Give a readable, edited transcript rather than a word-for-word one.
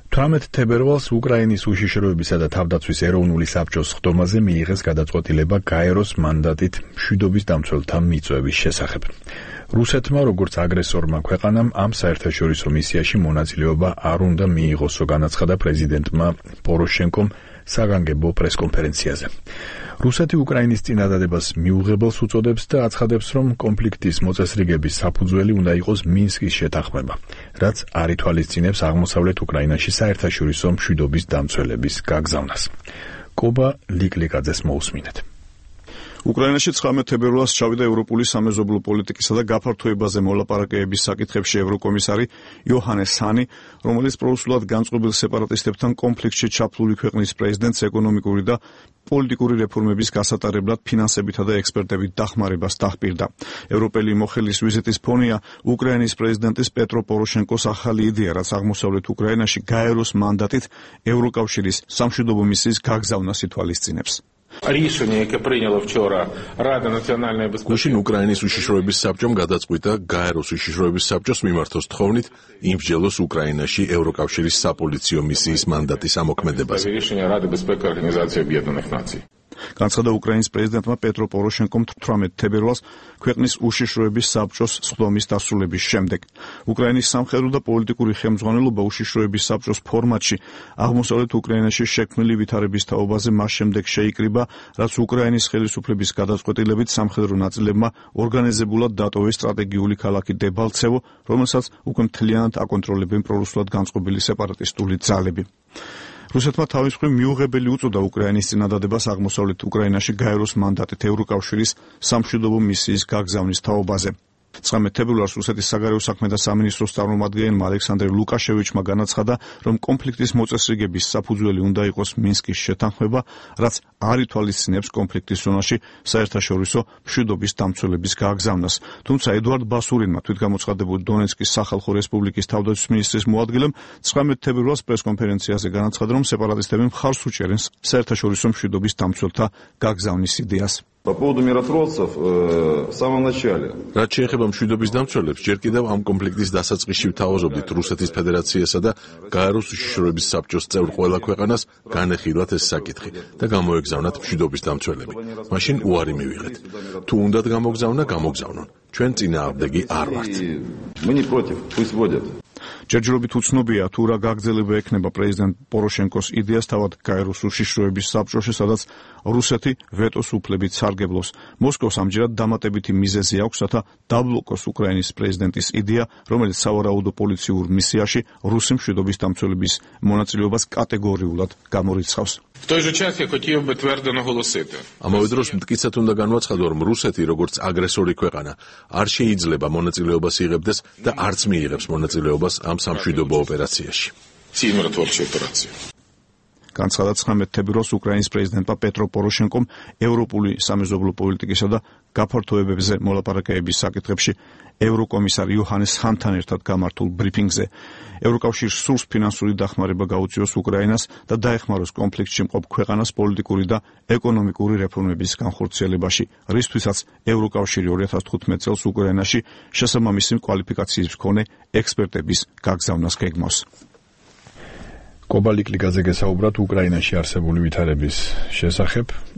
18 თებერვალს უკრაინის უშიშროებისა და თავდაცვის ეროვნული საბჭოს ხდომაზე მიიღეს გადაწყვეტილება გაეროს მანდატით მშვიდობის დამცველთა მიწვევის შესახებ. რუსეთმა, როგორც აგრესორმა ქვეყანამ, ამ საერთაშორისო მისიაში მონაწილეობა არ უნდა მიიღოსო, განაცხადა პრეზიდენტმა პოროშენკომ საგანგებო პრესკონფერენციაზე. რუსეთი უკრაინის წინადადებას მიუღებელს უწოდებს და აცხადებს, რომ კონფლიქტის მოწესრიგების საფუძველი უნდა იყოს მინსკის შეთანხმება, რაც არ ითვალისწინებს აღმოსავლეთ უკრაინაში საერთაშორისო მშვიდობის დამცველების გაგზავნას. კობა ლიკლიკაძეს მოусმინეთ. უკრაინაში 19 თებერვალს ჩავიდა ევროპული სამეზობლო პოლიტიკისა და გაფართოებაზე მოლაპარაკებების საკითხებში ევროკომისარი იოჰანეს ჰანი, რომელიც პროუსულად განწყობილ სეპარატისტებთან კონფლიქტში ჩაფლული ქვეყნის პრეზიდენტს ეკონომიკური და პოლიტიკური რეფორმების გასატარებლად ფინანსებითა და ექსპერტებით დახმარებას დაჰპირდა. ევროპელი მოხელის ვიზიტის ფონია უკრაინის პრეზიდენტის პეტრო პოროშენკოს ახალი იდეა, რაც აღმოსავლეთ უკრაინაში გაეროს მანდატით ევროკავშირის სამშვიდობო მისიის გაგზავნას ითვალისწინებს. გუშინ უკრაინის უშიშროების საბჭომ გადაწყვიტა გაეროს უშიშროების საბჭოს მიმართოს თხოვნით იმსჯელოს უკრაინაში ევროკავშირის საპოლიციო მისიის მანდატის ამოქმედებაზე. განცხადა უკრაინის პრეზიდენტმა პეტრო პოროშენკომ 18 თებერვალს ქვეყნის უშიშროების საბჭოს სხდომის დასრულების შემდეგ. უკრაინის სამხედრო და პოლიტიკური ხელმძღვანელობა უშიშროების საბჭოს ფორმატში აღმოსავლეთ უკრაინაში შექმნილი ვითარების თაობაზე მას შემდეგ შეიკრიბა, რაც უკრაინის ხელისუფლების გადაწყვეტილებით სამხედრო ნაწილებმა ორგანიზებულად დატოვეს სტრატეგიული ქალაქი დებალცევო, რომელსაც უკვე მთლიანად აკონტროლებენ პრორუსულად განწყობილი სეპარატისტული ძალები. რუსეთმა თავის მხრივ მიუღებელი უწოდა უკრაინის წინადადებას აღმოსავლეთ უკრაინაში გაეროს მანდატით ევროკავშირის სამშვიდობო მისიის გაგზავნის თაობაზე. 19 თებერვალს რუსეთის საგარეო საქმეთა სამინისტროს წარმომადგენელმა ალექსანდრე ლუკაშევიჩმა განაცხადა, რომ კონფლიქტის მოწესრიგების საფუძველი უნდა იყოს მინსკის შეთანხმება, რაც არ ითვალისწინებს კონფლიქტის ზონაში საერთაშორისო მშვიდობის დამცველების გაგზავნას. თუმცა ედუარდ ბასურინმა, თვითგამოცხადებულ დონეცკის სახალხო რესპუბლიკის თავდაცვის მინისტრის მოადგილემ 19 თებერვალს პრესკონფერენციაზე განაცხადა, რომ სეპარატისტები მხარს უჭერენ საერთაშორისო მშვიდობის დამცველთა გაგზავნის იდეას. По поводу миротворцев, в самом начале. რაც შეეხება მშვიდობის დამცველებს, ჯერ კიდევ ამ კონფლიქტის დასაწყისში ვთავაზობდით რუსეთის ფედერაციასა და გაეროს უშიშროების საბჭოს წევრ ყველა ქვეყანას განეხილათ ეს საკითხი და გამოეგზავნათ მშვიდობის დამცველები. მაშინ უარი მივიღეთ. თუ უნდათ გამოგზავნა, გამოგზავნონ. ჩვენ წინააღმდეგი არ ვართ. Мы не против, пусть водят. ჯერჯერობით უცნობია, თუ რა გაგრძელება ექნება პრეზიდენტ პოროშენკოს იდეას თავად გაეროს უშიშროების საბჭოში, სადაც რუსეთი ვეტოს უფლებით სარგებლობს. მოსკოვს ამჯერად დამატებითი მიზეზი აქვს, რათა დაბლოკოს უკრაინის პრეზიდენტის იდეა, რომელიც სავარაუდო პოლიციურ მისიაში რუსი მშვიდობის დამცველების მონაწილეობას კატეგორიულად გამორიცხავს. ამავე დროს მტკიცედ უნდა განვაცხადო, რომ რუსეთი, როგორც აგრესორი ქვეყანა, არ შეიძლება მონაწილეობას იღებდეს და არც მიიღებს მონაწილეობას ამ სამშვიდობო ოპერაციაში. განცხადა 19 თებერვალს უკრაინის პრეზიდენტმა პეტრო პოროშენკომ ევროპული სამეზობლო პოლიტიკისა და გაფართოებებზე მოლაპარაკებების საკითხებში ევროკომისარ იოჰანეს ჰანთან ერთად გამართულ ბრიფინგზე. ევროკავშირს სურს ფინანსური დახმარება გაუწიოს უკრაინას და დაეხმაროს კონფლიქტში მყოფ ქვეყანას პოლიტიკური და ეკონომიკური რეფორმების განხორციელებაში, რისთვისაც ევროკავშირი 2015 წელს უკრაინაში შესაბამისი კვალიფიკაციის მქონე ექსპერტების გაგზავნას გეგმავს. კობა ლიკლიკაძე გესაუბრათ უკრაინაში არსებული ვითარების შესახებ.